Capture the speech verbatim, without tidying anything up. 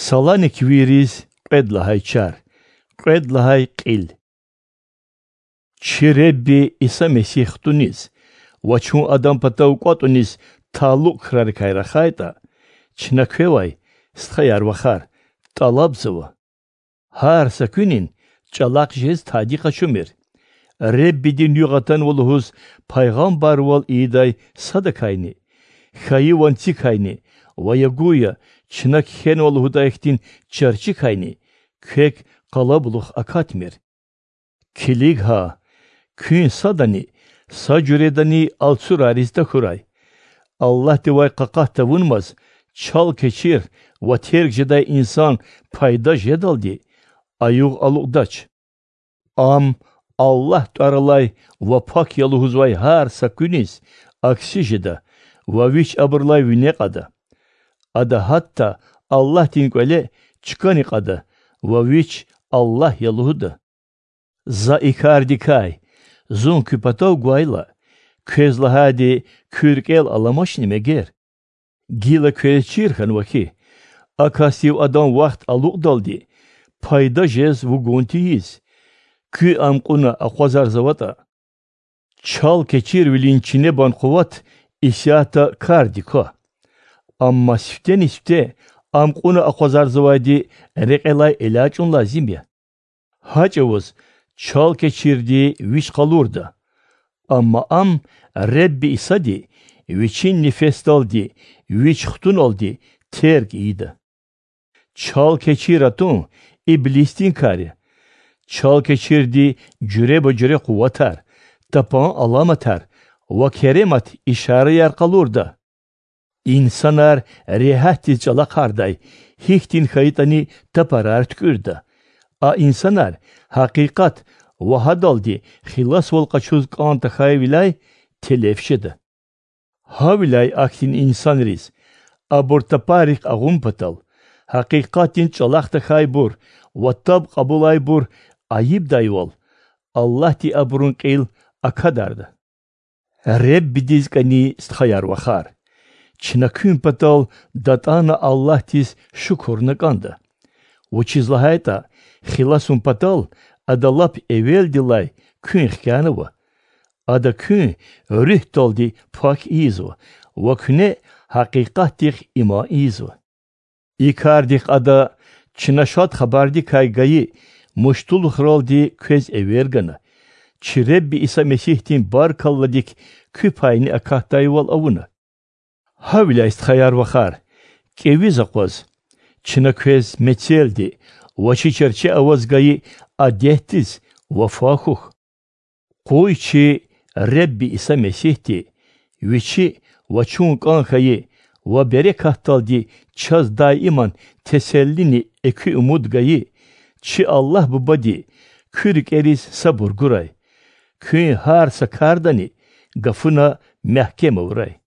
Саланиквийриз кьвед лагьай чар, кьвед лагьай кьил. Чи Худа Иса Месигь хтуниз ва чун Адан патав кӀватӀуниз талукь крарикай рахайтӀа, чна квевай, стхаяр-вахар, тӀалабзава: гьар са куьнин чӀалахъ жез тади къачумир, Худадин югъ атанва лугьуз пайгъамбарвал ийидай садакайни, хьайи ванцикайни ва я гуя чна кхьенва лугьудай хьтин чарчикайни квек къалабулух акатмир. Килиг гьа, куьн садани са жуьредани алцурариз тахьурай. Аллагьдивай къакъат тавунмаз чалкечир ва терг жедай инсан пайда жедалди а югъ алукьдач. Ам Аллагь тӀвар алай ва пак я лугьузвай гьар са куьниз акси жеда ва вич абурулай вине кьада. Ада гьатта Аллагьдин кӀвале чкани кьада ва вич Аллагь я лугьуда. За и кардикай, зун куь патав гвайла, квез лагьайди куь рикӀел аламачни мегер? Гила квез чир хьанва хьи, а касдив адан вахт алукьдалди пайда жез вугун тийиз, куьн ам кьуна акъвазарзаватӀа. Чалкечирвилин чинебан къуват исятда кардик ква, амма сифтени-сифте ам кьуна акъвазарзавайди рекьелай элячӀун лазим я. Гьа чӀавуз чалкечирди вич къалурда, амма ам Худа Исади Вичин нефесдалди Вич хтуналди терг ийида. Чалкечир атун иблисдин кар я. Чалкечирди жуьреба-жуьре къуватар, тапан аламатар ва керемат ишараяр къалурда. Инсанар регьятдиз чӀалахъардай гьихьтин хьайитӀани тапарар туькӀуьрда. А инсанар гьакъикъат ва гьадалди хиласвал къачуз кӀан тахьайвиляй телеф жеда. Гьавиляй ахьтин инсанриз, абур тапаррихъ агъун патал, гьакъикъатдин чӀалахъ тахьайбур ва таб кьабулайбур айибдайвал, Аллагьди абурун кьил акадарда. Худадиз кӀани, стхаяр-вахар, чна куьн патал датӀана Аллагьдиз шукурна кӀанда, вучиз лагьайтӀа хиласун патал Ада лап эвелдилай куьн хкянава. Ада куьн руьгьдалди пак ийизва ва куьне гьакъикъатдихъ иман ийизва. И кардихъ Ада чна Шад Хабардикай гайи муштулухралди квез эвер гана, чи Худа Иса Месигьдин баркалладик куь пайни акатдайвал авуна. Гьавиляй, стхаяр-вахар, кӀевиз акъваз, чна квез мецелди ва чи чарче аваз гайи адетдиз вафа хьухь. Къуй чи Худа Иса Месигьди, Вичи ва чун кӀан хьайи ва берекатдалди чаз даиман теселлини экуь умуд гайи чи Аллагь Бубади куь рикӀериз сабур гурай. Куьн гьар са кардани гафуна мягькем авурай.